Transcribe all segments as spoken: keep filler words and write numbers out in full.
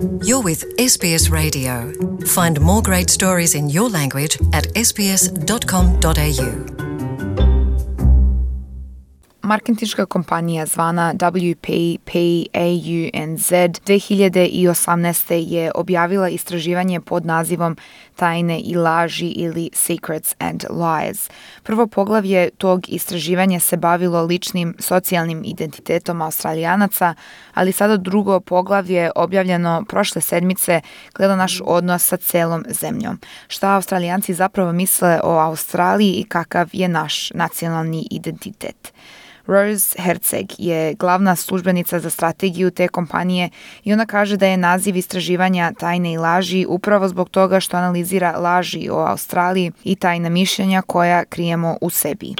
You're with S B S Radio. Find more great stories in your language at s b s dot com dot a u. Marketinška kompanija zvana W P P A U N Z dve hiljade osamnaeste. je objavila istraživanje pod nazivom Tajne i laži ili Secrets and Lies. Prvo poglavlje tog istraživanja se bavilo ličnim socijalnim identitetom Australijanaca, ali sada drugo poglavlje objavljeno prošle sedmice gleda naš odnos sa celom zemljom. Šta Australijanci zapravo misle o Australiji i kakav je naš nacionalni identitet. Rose Herceg je glavna službenica za strategiju te kompanije i ona kaže da je naziv istraživanja Tajne i laži upravo zbog toga što analizira laži o Australiji i tajna mišljenja koja krijemo u sebi.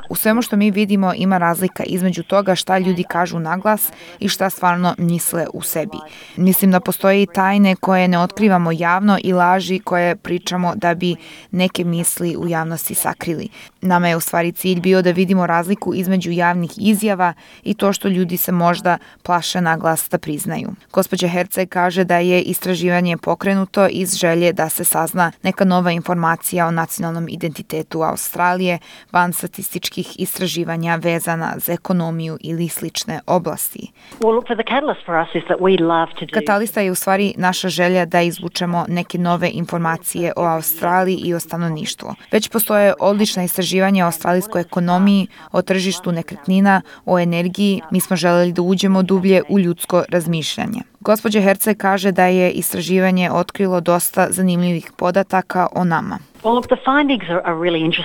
U svemu što mi vidimo ima razlika između toga šta ljudi kažu naglas i šta stvarno misle u sebi. Mislim da postoje i tajne koje ne otkrivamo javno i laži koje pričamo da bi neke misli u javnosti sakrili. Nama je u stvari cilj bio da vidimo razliku između javnih izjava i to što ljudi se možda plaše naglas da priznaju. Gospođa Herceg kaže da je istraživanje pokrenuto iz želje da se sazna neka nova informacija o nacionalnom identitetu Australije van statističkih istraživanja vezana za ekonomiju ili slične oblasti. Katalista je u stvari naša želja da izvučemo neke nove informacije o Australiji i o stanovništvu. Već postoje odlična istraživanja o australijskoj ekonomiji, o tržištu nekretnina, o energiji. Mi smo želeli da uđemo dublje u ljudsko razmišljanje. Gospođa Herceg kaže da je istraživanje otkrilo dosta zanimljivih podataka o nama.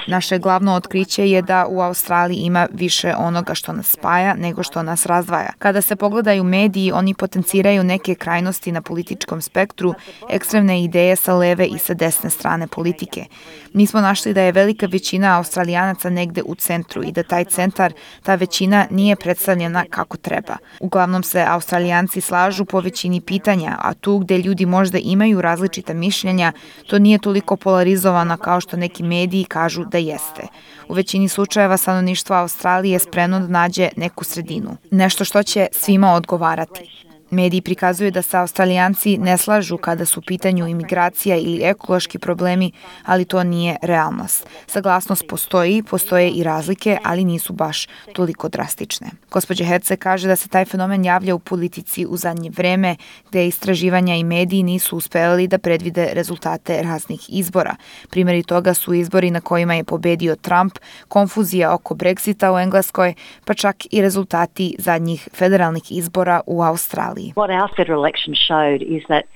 Naše glavno otkriće je da u Australiji ima više onoga što nas spaja nego što nas razdvaja. Kada se pogledaju mediji, oni potenciraju neke krajnosti na političkom spektru, ekstremne ideje sa leve i sa desne strane politike. Mi smo našli da je velika većina Australijanaca negde u centru i da taj centar, ta većina nije predstavljena kako treba. Uglavnom se Australijanci slažu po većini pitanja, a tu gde ljudi možda imaju različita mišljenja, to nije toliko polarizovano kao što neki mediji kažu da jeste. U većini slučajeva stanovništvo Australije je spremno da nađe neku sredinu. Nešto što će svima odgovarati. Mediji prikazuju da se Australijanci ne slažu kada su u pitanju imigracija ili ekološki problemi, ali to nije realnost. Saglasnost postoji, postoje i razlike, ali nisu baš toliko drastične. Gospođa Herceg kaže da se taj fenomen javlja u politici u zadnje vreme, gde istraživanja i mediji nisu uspeli da predvide rezultate raznih izbora. Primjeri toga su izbori na kojima je pobedio Trump, konfuzija oko Brexita u Engleskoj, pa čak i rezultati zadnjih federalnih izbora u Australiji.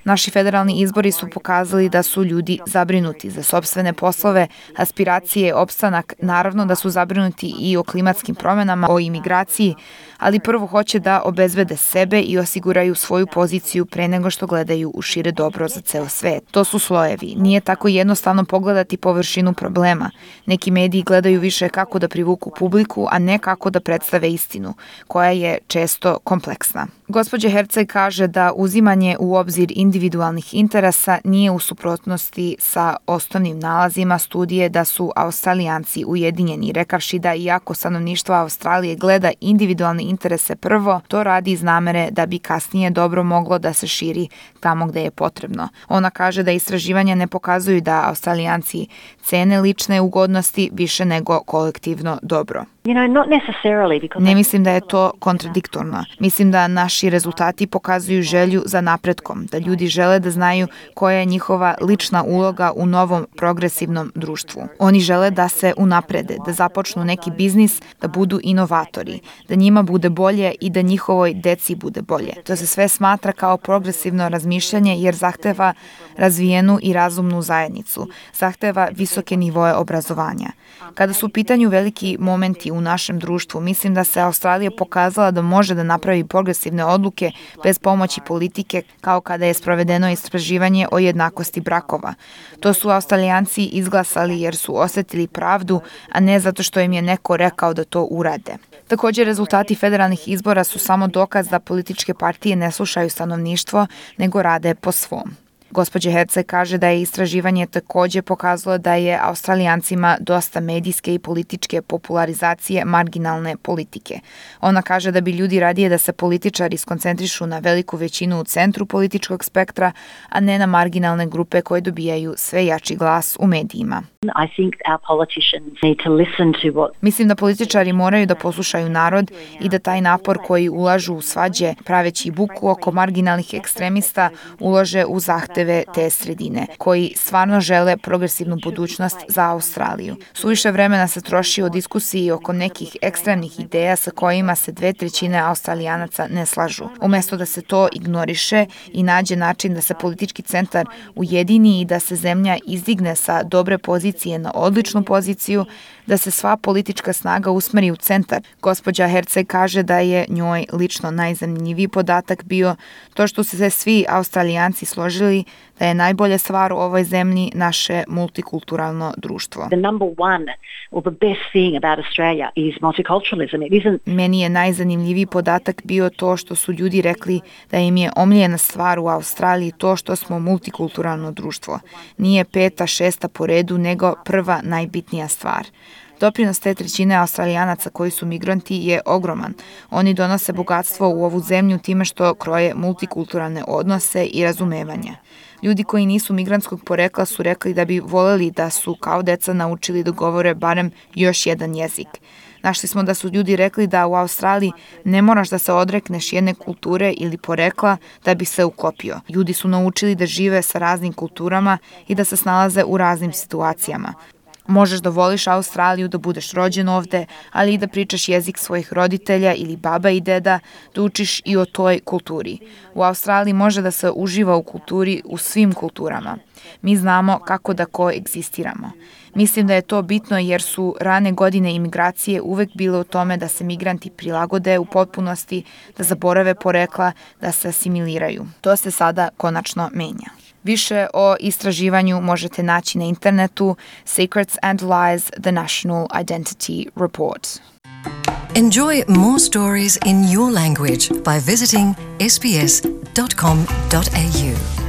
Naši federalni izbori su pokazali da su ljudi zabrinuti za sopstvene poslove, aspiracije, opstanak, naravno da su zabrinuti i o klimatskim promjenama, o imigraciji, ali prvo hoće da obezbede sebe i osiguraju svoju poziciju pre nego što gledaju u šire dobro za ceo svet. To su slojevi. Nije tako jednostavno pogledati površinu problema. Neki mediji gledaju više kako da privuku publiku, a ne kako da predstave istinu, koja je često kompleksna. Gospođa Herceg kaže da uzimanje u obzir individualnih interesa nije u suprotnosti sa osnovnim nalazima studije da su Australijanci ujedinjeni, rekavši da iako stanovništvo Australije gleda individualne interese prvo, to radi iz namere da bi kasnije dobro moglo da se širi tamo gde je potrebno. Ona kaže da istraživanja ne pokazuju da Australijanci cene lične ugodnosti više nego kolektivno dobro. Ne mislim da je to kontradiktorno. Mislim da naši rezultati pokazuju želju za napretkom, da ljudi žele da znaju koja je njihova lična uloga u novom progresivnom društvu. Oni žele da se unaprede, da započnu neki biznis, da budu inovatori, da njima bude bolje i da njihovoj deci bude bolje. To se sve smatra kao progresivno razmišljanje jer zahteva razvijenu i razumnu zajednicu, zahteva visoke nivoe obrazovanja. Kada su u pitanju veliki momenti u našem društvu, mislim da se Australija pokazala da može da napravi progresivne odluke bez pomoći politike, kao kada je sprovedeno istraživanje o jednakosti brakova. To su Australijanci izglasali jer su osetili pravdu, a ne zato što im je neko rekao da to urade. Također, rezultati federalnih izbora su samo dokaz da političke partije ne slušaju stanovništvo, nego rade po svom. Gospođa Herceg kaže da je istraživanje takođe pokazalo da je Australijancima dosta medijske i političke popularizacije marginalne politike. Ona kaže da bi ljudi radije da se političari skoncentrišu na veliku većinu u centru političkog spektra, a ne na marginalne grupe koje dobijaju sve jači glas u medijima. Mislim da političari moraju da poslušaju narod i da taj napor koji ulažu u svađe praveći buku oko marginalnih ekstremista ulože u zahteve te sredine, koji stvarno žele progresivnu budućnost za Australiju. Suviše vremena se troši o diskusiji oko nekih ekstremnih ideja sa kojima se dve trećine Australijanaca ne slažu. Umesto da se to ignoriše i nađe način da se politički centar ujedini i da se zemlja izdigne sa dobre pozicije na odličnu poziciju, da se sva politička snaga usmeri u centar. Gospođa Herceg kaže da je njoj lično najzanimljiviji podatak bio to što su se svi Australijanci složili da je najbolja stvar u ovoj zemlji naše multikulturalno društvo. Meni je najzanimljiviji podatak bio to što su ljudi rekli da im je omiljena stvar u Australiji to što smo multikulturalno društvo. Nije peta, šesta po redu, nego prva najbitnija stvar. Doprinos te trećine Australijanaca koji su migranti je ogroman. Oni donose bogatstvo u ovu zemlju time što kroje multikulturalne odnose i razumevanja. Ljudi koji nisu migrantskog porekla su rekli da bi voleli da su kao deca naučili da govore barem još jedan jezik. Našli smo da su ljudi rekli da u Australiji ne moraš da se odrekneš jedne kulture ili porekla da bi se uklopio. Ljudi su naučili da žive sa raznim kulturama i da se snalaze u raznim situacijama. Možeš da voliš Australiju, da budeš rođen ovde, ali i da pričaš jezik svojih roditelja ili baba i deda, da učiš i o toj kulturi. U Australiji može da se uživa u kulturi u svim kulturama. Mi znamo kako da koegzistiramo. Mislim da je to bitno jer su rane godine imigracije uvek bile u tome da se migranti prilagode u potpunosti, da zaborave porekla, da se asimiliraju. To se sada konačno menja. Više o istraživanju možete naći na internetu Secrets and Lies, The National Identity Report. Enjoy more stories in your language by visiting s b s dot com dot a u.